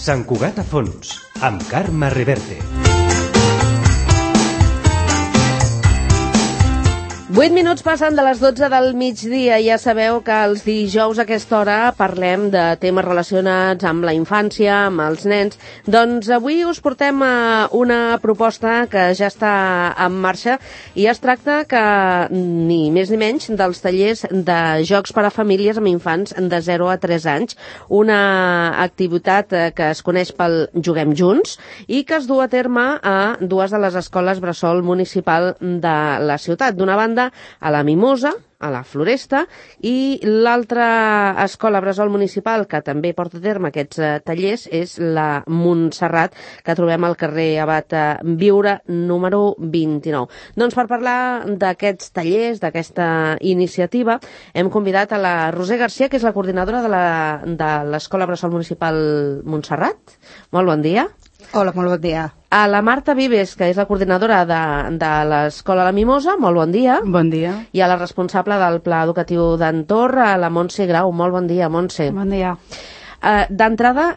Sant Cugat a fons, amb Carme Reverte. 8 minuts passen de les 12 del migdia. Ja sabeu que els dijous a aquesta hora parlem de temes relacionats amb la infància, amb els nens. Doncs avui us portem una proposta que ja està en marxa i es tracta que ni més ni menys dels tallers de jocs per a famílies amb infants de 0 a 3 anys. Una activitat que es coneix pel Juguem Junts i que es du a terme a dues de les escoles bressol municipal de la ciutat. D'una banda, a la Mimosa, a la Floresta, i l'altra escola bressol municipal que també porta a terme aquests tallers és la Montserrat, que trobem al carrer Abat Viure número 29. Doncs per parlar d'aquests tallers, d'aquesta iniciativa, hem convidat a la Roser Garcia, que és la coordinadora de l'escola bressol municipal Montserrat. Molt bon dia. Hola, molt bon dia. A la Marta Vives, que és la coordinadora de l'escola La Mimosa, molt bon dia. Bon dia. I a la responsable del Pla Educatiu d'Entorn, a la Montse Grau. Molt bon dia, Montse. Bon dia. D'entrada,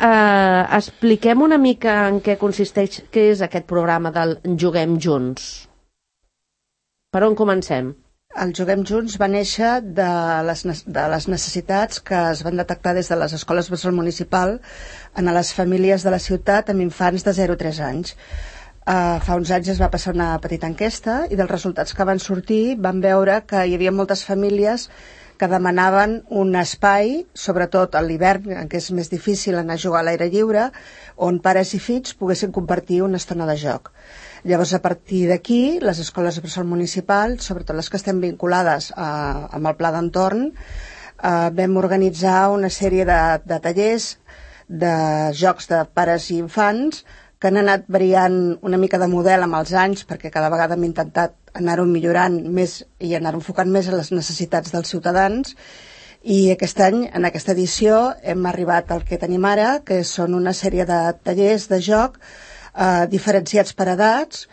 expliquem una mica en què consisteix, què és aquest programa del Juguem Junts. Per on comencem? El Juguem Junts va néixer de les necessitats que es van detectar des de les escoles bressol municipal en les famílies de la ciutat amb infants de 0 a 3 anys. Fa uns anys es va passar una petita enquesta i dels resultats que van sortir van veure que hi havia moltes famílies que demanaven un espai, sobretot a l'hivern, en què és més difícil anar a jugar a l'aire lliure, on pares i fills poguessin compartir una estona de joc. Llavors, a partir d'aquí, les escoles bressol municipal, sobretot les que estem vinculades amb el Pla d'Entorn, vam organitzar una sèrie de tallers de jocs de pares i infants que han anat variant una mica de model amb els anys, perquè cada vegada hem intentat anar-ho millorant més i anar-ho enfocant més a les necessitats dels ciutadans. I aquest any, en aquesta edició, hem arribat al que tenim ara, que són una sèrie de tallers de joc diferenciats per edats.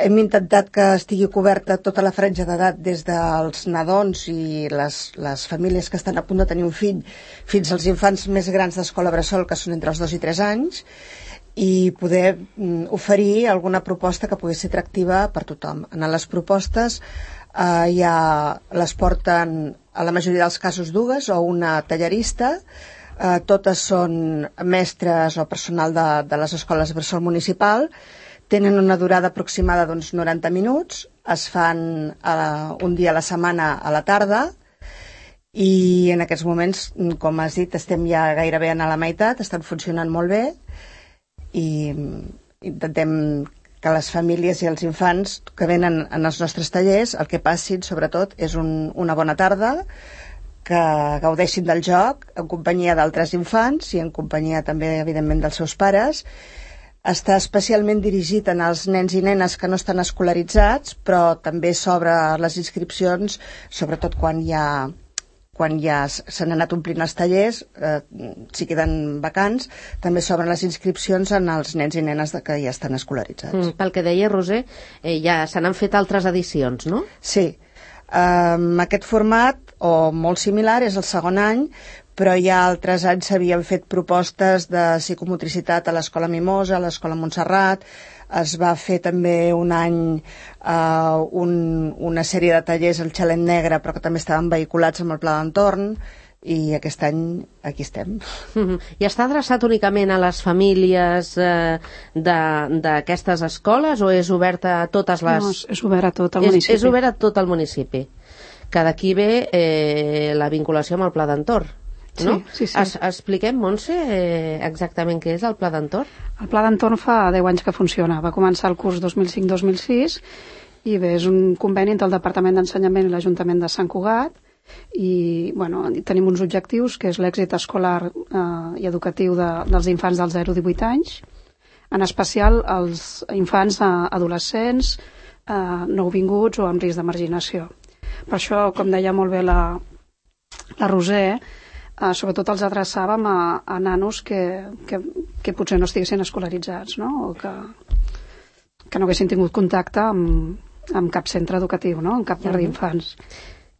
Hem intentat que estigui coberta tota la franja d'edat des dels nadons i les famílies que estan a punt de tenir un fill fins als infants més grans d'escola bressol, que són entre els 2 i 3 anys, i poder oferir alguna proposta que pugui ser atractiva per tothom. En les propostes les porten a la majoria dels casos dues o una tallerista. Totes són mestres o personal de les escoles bressol municipal, tenen una durada aproximada d'uns 90 minuts, es fan un dia a la setmana a la tarda i en aquests moments, com has dit, estem ja gairebé a la meitat, estan funcionant molt bé i intentem que les famílies i els infants que venen en els nostres tallers el que passin sobretot és una bona tarda, que gaudeixin del joc en companyia d'altres infants i en companyia també, evidentment, dels seus pares. Està especialment dirigit als nens i nenes que no estan escolaritzats, però també s'obre les inscripcions, sobretot quan ja s'han anat omplint els tallers, si queden vacants, també s'obren les inscripcions en els nens i nenes que ja estan escolaritzats. Pel que deia Roser, ja se n'han fet altres edicions, no? Sí. Aquest format, o molt similar, és el segon any, però ja altres anys s'havien fet propostes de psicomotricitat a l'Escola Mimosa, a l'Escola Montserrat. Es va fer també un any una sèrie de tallers al Xalet Negre, però que també estaven vehiculats amb el Pla d'Entorn, i aquest any aquí estem. I està adreçat únicament a les famílies d'aquestes escoles o és obert a totes les... No, és obert a tot el municipi. És obert a tot el municipi. Que d'aquí ve la vinculació amb el Pla d'Entorn, no? Sí. Expliquem, Montse, exactament què és el Pla d'Entorn? El Pla d'Entorn fa 10 anys que funciona. Va començar el curs 2005-2006 i bé, és un conveni entre el Departament d'Ensenyament i l'Ajuntament de Sant Cugat i tenim uns objectius que és l'èxit escolar i educatiu dels infants dels 0 a 18 anys, en especial els infants adolescents nouvinguts o amb risc de marginació. Per això, com deia molt bé la Roser, sobretot els adreçàvem a nanos que potser no estiguessin escolaritzats, no? O que no haguessin tingut contacte amb cap centre educatiu, no? En cap llar d'infants.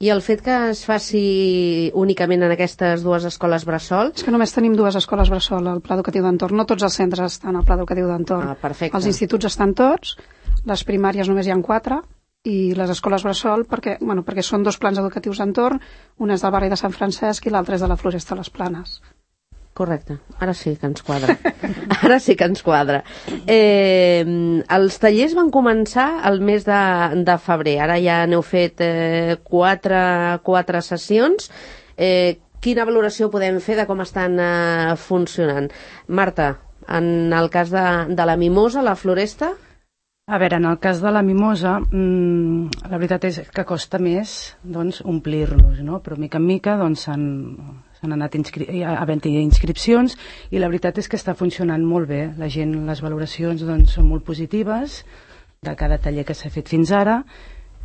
I el fet que es faci únicament en aquestes dues escoles bressol... És que només tenim dues escoles bressol al Pla Educatiu d'Entorn. No tots els centres estan al Pla Educatiu d'Entorn. Perfecte. Els instituts estan tots, les primàries només hi ha 4, i les escoles bressol perquè són 2 plans educatius d'entorn, un és del barri de Sant Francesc i l'altre és de la Floresta de les Planes. Correcte, ara sí que ens quadra. Ara sí que ens quadra. Els tallers van començar el mes de febrer, ara ja n'heu fet 4 sessions. Quina valoració podem fer de com estan funcionant? Marta, en el cas de la Mimosa, la Floresta... A veure, en el cas de la Mimosa, la veritat és que costa més omplir-los, no? Però mica en mica s'han anat havent-hi inscripcions i la veritat és que està funcionant molt bé. La gent, les valoracions són molt positives de cada taller que s'ha fet fins ara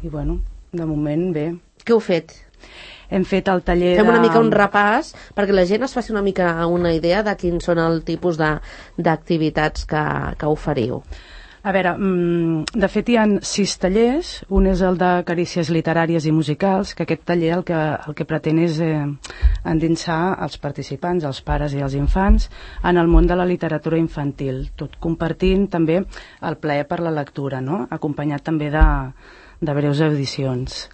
i, de moment bé. Què heu fet? Hem fet el taller Fem una mica un repàs perquè la gent es faci una mica una idea de quins són el tipus d'activitats que oferiu. A veure, de fet hi ha 6 tallers, un és el de carícies literàries i musicals, que aquest taller el que pretén és endinsar els participants, els pares i els infants, en el món de la literatura infantil, tot compartint també el plaer per la lectura, no? Acompanyat també de breus audicions.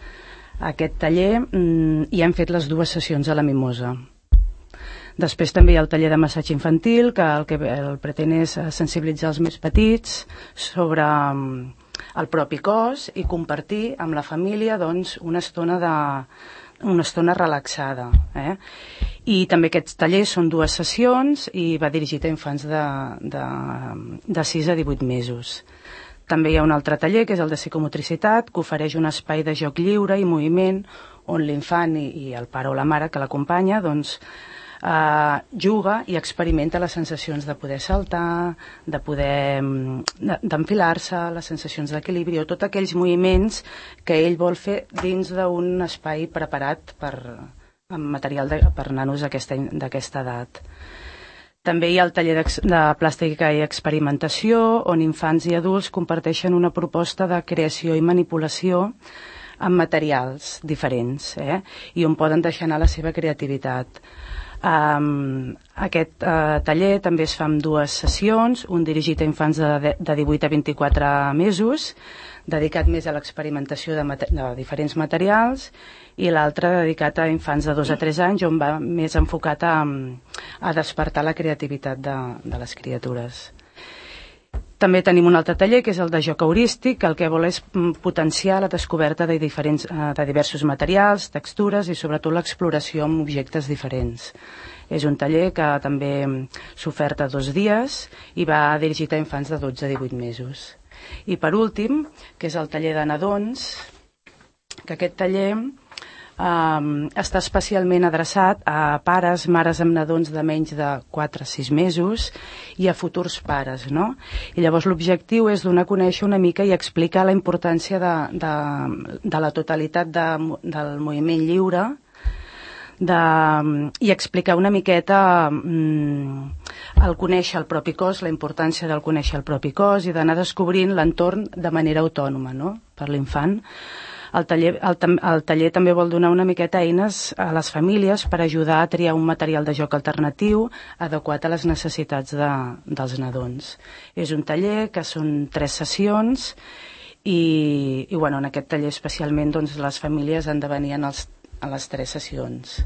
Aquest taller hi hem fet les 2 sessions a la Mimosa. Després també hi ha el taller de massatge infantil, que el que pretén és sensibilitzar els més petits sobre el propi cos i compartir amb la família una estona relaxada. I també aquests tallers són 2 sessions i va dirigit a infants de 6 a 18 mesos. També hi ha un altre taller, que és el de psicomotricitat, que ofereix un espai de joc lliure i moviment on l'infant i el pare o la mare que l'acompanya juga i experimenta les sensacions de poder saltar, de poder d'enfilar-se, les sensacions d'equilibri o tots aquells moviments que ell vol fer dins d'un espai preparat amb material per nanos d'aquesta edat. També hi ha el taller de plàstica i experimentació, on infants i adults comparteixen una proposta de creació i manipulació amb materials diferents, i on poden deixar anar la seva creativitat. Aquest taller també es fa amb 2 sessions, un dirigit a infants de 18 a 24 mesos, dedicat més a l'experimentació de diferents materials, i l'altre dedicat a infants de 2 a 3 anys, on va més enfocat a despertar la creativitat de les criatures. També tenim un altre taller, que és el de joc heurístic, que el que vol és potenciar la descoberta de diversos materials, textures i sobretot l'exploració amb objectes diferents. És un taller que també s'oferta 2 dies i va dirigit a infants de 12 a 18 mesos. I per últim, que és el taller de nadons, que aquest taller està especialment adreçat a pares, mares amb nadons de menys de 4 a 6 mesos i a futurs pares, no? I llavors l'objectiu és donar a conèixer una mica i explicar la importància de la totalitat del moviment lliure i explicar una miqueta el conèixer el propi cos, la importància del conèixer el propi cos i d'anar descobrint l'entorn de manera autònoma, no?, per l'infant. El taller també vol donar una miqueta eines a les famílies per ajudar a triar un material de joc alternatiu adequat a les necessitats dels nadons. És un taller que són 3 sessions i en aquest taller especialment les famílies han de venir a les 3 sessions.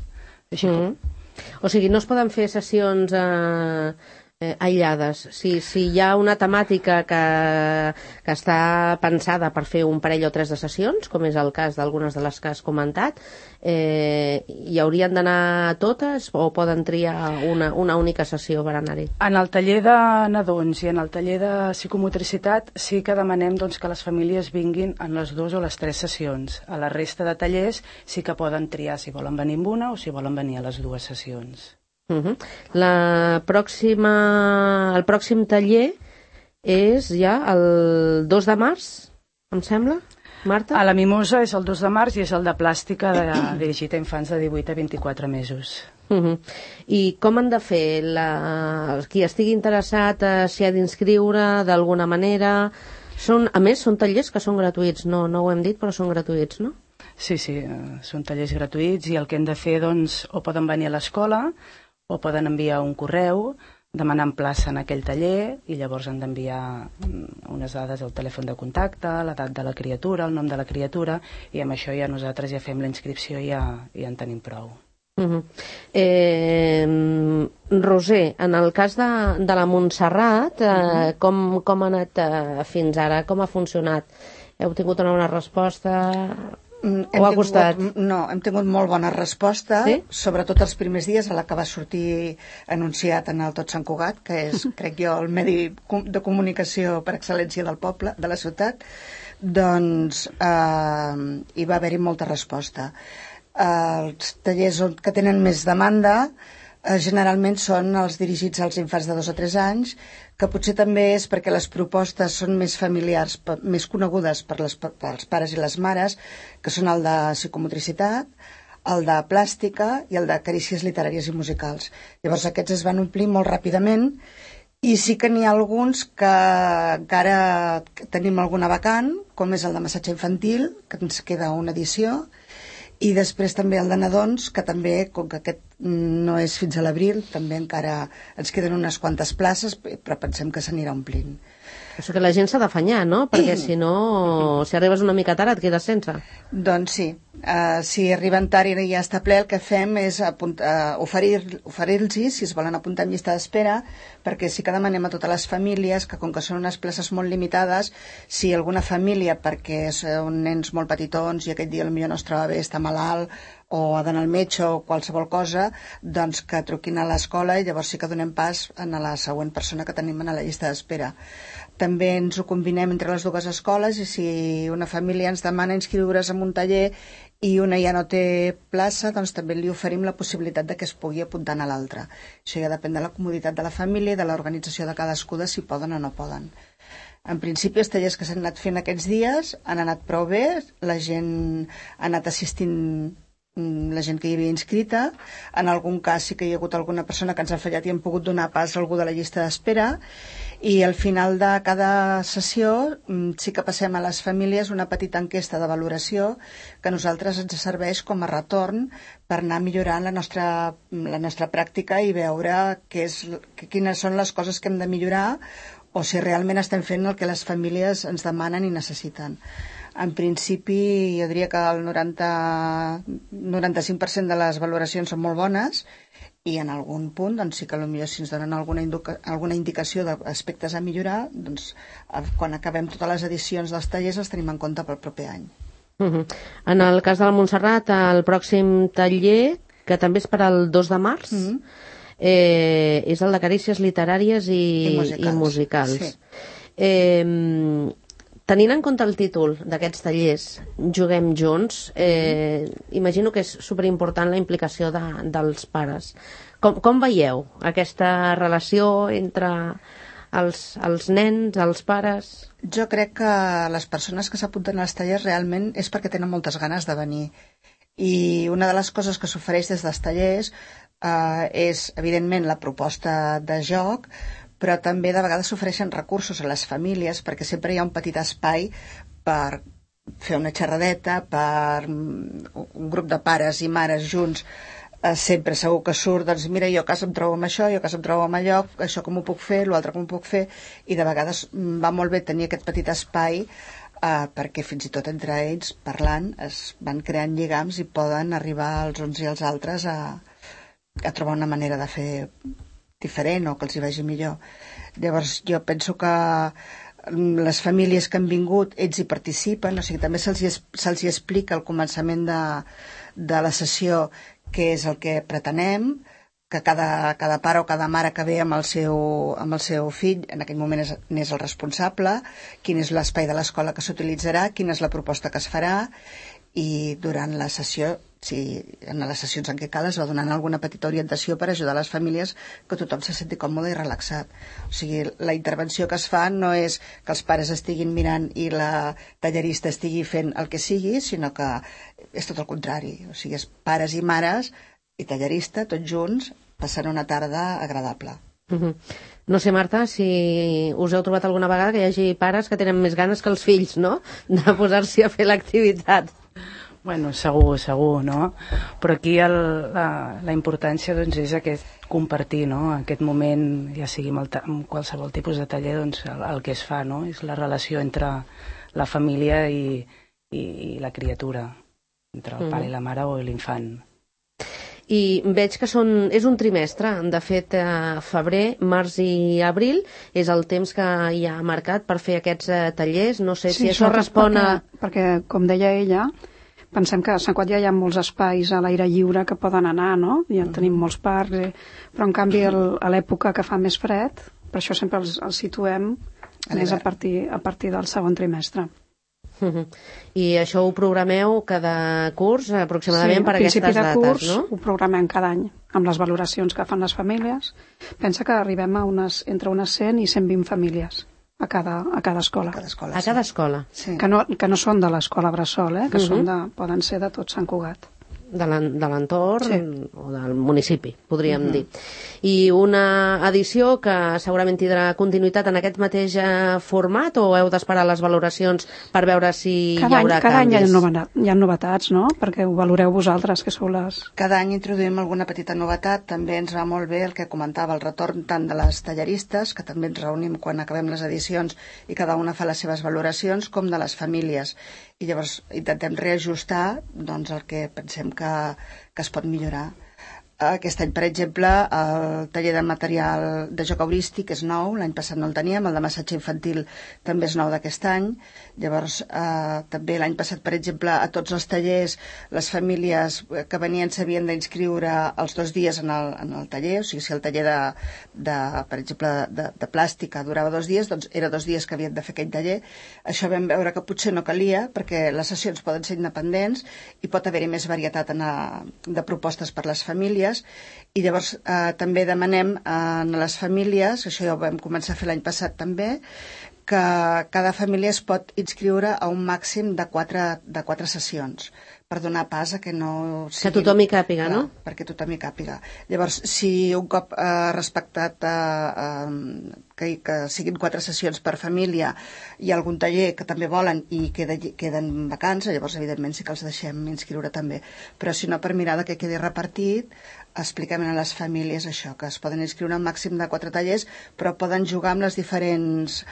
O sigui, no es poden fer sessions aïllades. Si hi ha una temàtica que està pensada per fer un parell o 3 de sessions, com és el cas d'algunes de les que has comentat, hi haurien d'anar totes o poden triar una única sessió per anar-hi? En el taller de nadons i en el taller de psicomotricitat sí que demanem que les famílies vinguin en les 2 o les 3 sessions. A la resta de tallers sí que poden triar si volen venir en una o si volen venir a les 2 sessions. El pròxim taller és ja el 2 de març, em sembla, Marta? A la Mimosa és el 2 de març i és el de plàstica dirigit a infants de 18 a 24 mesos. I com han de fer? Qui estigui interessat s'hi ha d'inscriure d'alguna manera? A més, són tallers que són gratuïts, no ho hem dit, però són gratuïts, no? Sí, són tallers gratuïts i el que hem de fer, doncs, o poden venir a l'escola o poden enviar un correu demanant plaça en aquell taller i llavors han d'enviar unes dades al telèfon de contacte, l'edat de la criatura, el nom de la criatura, i amb això ja nosaltres ja fem la inscripció i ja en tenim prou. Roser, en el cas de la Montserrat, com ha anat fins ara? Com ha funcionat? Heu tingut una bona resposta? O ha costat? No, hem tingut molt bona resposta, sí? Sobretot els primers dies, a la que va sortir anunciat en el Tot Sant Cugat, que és, crec jo, el medi de comunicació per excel·lència del poble, de la ciutat, doncs hi va haver-hi molta resposta. Els tallers que tenen més demanda generalment són els dirigits als infants de 2 o 3 anys, que potser també és perquè les propostes són més familiars, més conegudes pels pares i les mares, que són el de psicomotricitat, el de plàstica i el de carícies literàries i musicals. Llavors aquests es van omplir molt ràpidament i sí que n'hi ha alguns que encara tenim alguna vacant, com és el de massatge infantil, que ens queda una edició, i després també el de nadons, que també, com que aquest no és fins a l'abril, també encara ens queden unes quantes places, però pensem que s'anirà omplint. Això que la gent s'ha d'afanyar, no? Perquè si no, si arribes una mica tard et quedes sense. Doncs sí. Si arriben tard i ja està ple, el que fem és oferir-los, si es volen apuntar en llista d'espera, perquè sí que demanem a totes les famílies que, com que són unes places molt limitades, si alguna família, perquè són nens molt petitons i aquell dia potser no es troba bé, està malalt, o ha d'anar al metge o qualsevol cosa, doncs que truquin a l'escola i llavors sí que donem pas a la següent persona que tenim a la llista d'espera. També ens ho combinem entre les dues escoles i si una família ens demana inscriure's en un taller i una ja no té plaça, doncs també li oferim la possibilitat de que es pugui apuntar a l'altra. Això ja depèn de la comoditat de la família i de l'organització de cadascú de si poden o no poden. En principi, els tallers que s'han anat fent aquests dies han anat prou bé, la gent ha anat assistint, la gent que hi havia inscrita. En algun cas sí que hi ha hagut alguna persona que ens ha fallat i hem pogut donar pas a algú de la llista d'espera, i al final de cada sessió sí que passem a les famílies una petita enquesta de valoració que a nosaltres ens serveix com a retorn per anar millorant la nostra pràctica i veure quines són les coses que hem de millorar o si realment estem fent el que les famílies ens demanen i necessiten. En principi, jo diria que el 95% de les valoracions són molt bones i en algun punt, doncs sí que potser si ens donen alguna indicació d'aspectes a millorar, doncs quan acabem totes les edicions dels tallers els tenim en compte pel proper any. En el cas de la Montserrat, el pròxim taller, que també és per al 2 de març, és el de carícies literàries i musicals. Sí. Tenint en compte el títol d'aquests tallers, Juguem Junts, imagino que és superimportant la implicació dels pares. Com veieu aquesta relació entre els nens, els pares? Jo crec que les persones que s'apunten als tallers realment és perquè tenen moltes ganes de venir. I una de les coses que s'ofereix des dels tallers és, evidentment, la proposta de joc, però també de vegades s'ofereixen recursos a les famílies perquè sempre hi ha un petit espai per fer una xerradeta, per un grup de pares i mares junts, sempre segur que surt, doncs mira, jo a casa em trobo amb això, jo a casa em trobo amb allò, això com ho puc fer, l'altre com ho puc fer, i de vegades va molt bé tenir aquest petit espai perquè fins i tot entre ells, parlant, es van creant lligams i poden arribar els uns i els altres a trobar una manera de fer diferent o que els hi vagi millor. Llavors jo penso que les famílies que han vingut, ells hi participen, o sigui, també se'ls hi explica al començament de la sessió què és el que pretenem, que cada pare o cada mare que ve amb el seu fill en aquell moment n'és el responsable, quin és l'espai de l'escola que s'utilitzarà, quina és la proposta que es farà, i durant la sessió, en les sessions en què cal, es va donant alguna petita orientació per ajudar les famílies que tothom se senti còmode i relaxat. O sigui, la intervenció que es fa no és que els pares estiguin mirant i la tallerista estigui fent el que sigui, sinó que és tot el contrari. O sigui, és pares i mares i tallerista, tots junts, passant una tarda agradable. No sé, Marta, si us heu trobat alguna vegada que hi hagi pares que tenen més ganes que els fills, no?, de posar-s'hi a fer l'activitat. Bueno, segur, no? Però aquí la importància doncs, és aquest compartir, no? Aquest moment, ja sigui amb qualsevol tipus de taller, doncs, el que es fa, no? És la relació entre la família i la criatura, entre el pare i la mare o l'infant. I veig que és un trimestre. De fet, febrer, març i abril és el temps que hi ha marcat per fer aquests tallers. No sé si això respon a... Perquè, com deia ella, pensem que a Sant Cugat ja hi ha molts espais a l'aire lliure que poden anar, no? Ja tenim molts parcs, però en canvi a l'època que fa més fred, per això sempre els situem més a partir del segon trimestre. I això ho programeu cada curs aproximadament per aquestes dates, no? Sí, a principi de curs ho programem cada any, amb les valoracions que fan les famílies. Pensa que arribem a entre unes 100 i 120 famílies a cada escola. A cada escola. Sí. Que no són de l'escola Bressol, que poden ser de tot Sant Cugat. De l'entorn o del municipi, podríem dir. I una edició que segurament tindrà continuïtat en aquest mateix format, o heu d'esperar les valoracions per veure si hi haurà canvis? Cada any hi ha novetats, no? Perquè ho valoreu vosaltres, que sou les... Cada any introduïm alguna petita novetat. També ens va molt bé el que comentava, el retorn tant de les tallaristes, que també ens reunim quan acabem les edicions i cada una fa les seves valoracions, com de les famílies. I llavors intentem reajustar doncs, el que pensem que es pot millorar. Aquest any, per exemple, el taller de material de joc heurístic és nou, l'any passat no el teníem, el de massatge infantil també és nou d'aquest any. Llavors, també l'any passat, per exemple, a tots els tallers, les famílies que venien s'havien d'inscriure els 2 dies en el taller, o sigui, si el taller per exemple, de plàstica durava 2 dies, doncs era 2 dies que havien de fer aquell taller. Això vam veure que potser no calia, perquè les sessions poden ser independents i pot haver-hi més varietat de propostes per les famílies. I llavors també demanem a les famílies, això ja ho vam començar a fer l'any passat també, que cada família es pot inscriure a un màxim de 4 sessions, per donar pas a que no sigui... Que tothom hi càpiga, no? Perquè tothom hi càpiga. Llavors, si un cop respectat que siguin 4 sessions per família, hi ha algun taller que també volen i queden vacants, llavors, evidentment, sí que els deixem inscriure també. Però si no, per mirar que quedi repartit, expliquem a les famílies això, que es poden inscriure un màxim de 4 tallers, però poden jugar amb les diferents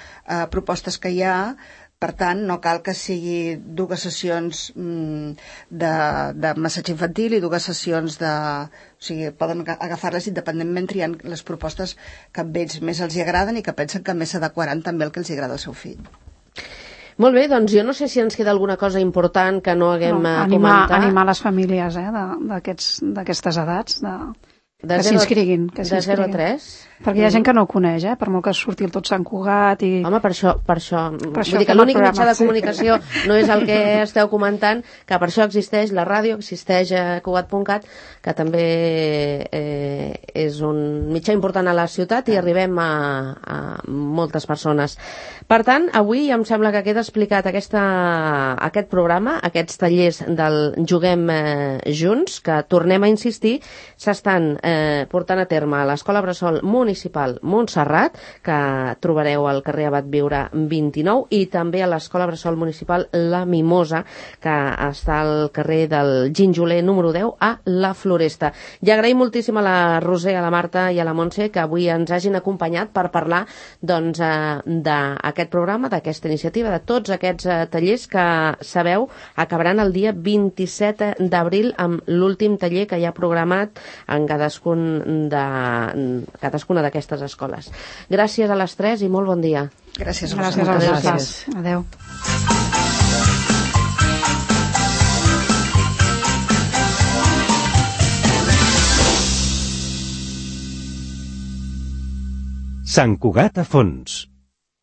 propostes que hi ha. Per tant, no cal que sigui 2 sessions de massatge infantil i 2 sessions de... O sigui, poden agafar-les independentment triant les propostes que a ells més els agraden i que pensen que més s'adequaran també el que els agrada al seu fill. Molt bé, doncs jo no sé si ens queda alguna cosa important que no haguem comentat. Animar les famílies d'aquestes edats, que s'inscriguin. De 0 a 3? Perquè hi ha gent que no ho coneix, per molt que surti el tot Sant Cugat i... Home, per això vull dir que l'únic mitjà de comunicació no és el que esteu comentant, que per això existeix la ràdio, existeix Cugat.cat, que també és un mitjà important a la ciutat i arribem a moltes persones. Per tant, avui em sembla que queda explicat aquest programa, aquests tallers del Juguem Junts, que tornem a insistir, s'estan portant a terme a l'Escola Bressol Municipal Montserrat, que trobareu al carrer Abat Viure 29, i també a l'Escola Bressol Municipal La Mimosa, que està al carrer del Ginjoler número 10 a la Floresta. I agraïm moltíssim a la Roser, a la Marta i a la Montse que avui ens hagin acompanyat per parlar doncs, d'aquest programa, d'aquesta iniciativa, de tots aquests tallers que, sabeu, acabaran el dia 27 d'abril amb l'últim taller que hi ha programat en cadascuna d'aquestes escoles. Gràcies a les 3 i molt bon dia. Gràcies a vosaltres. Adéu. Sant Cugat a fons.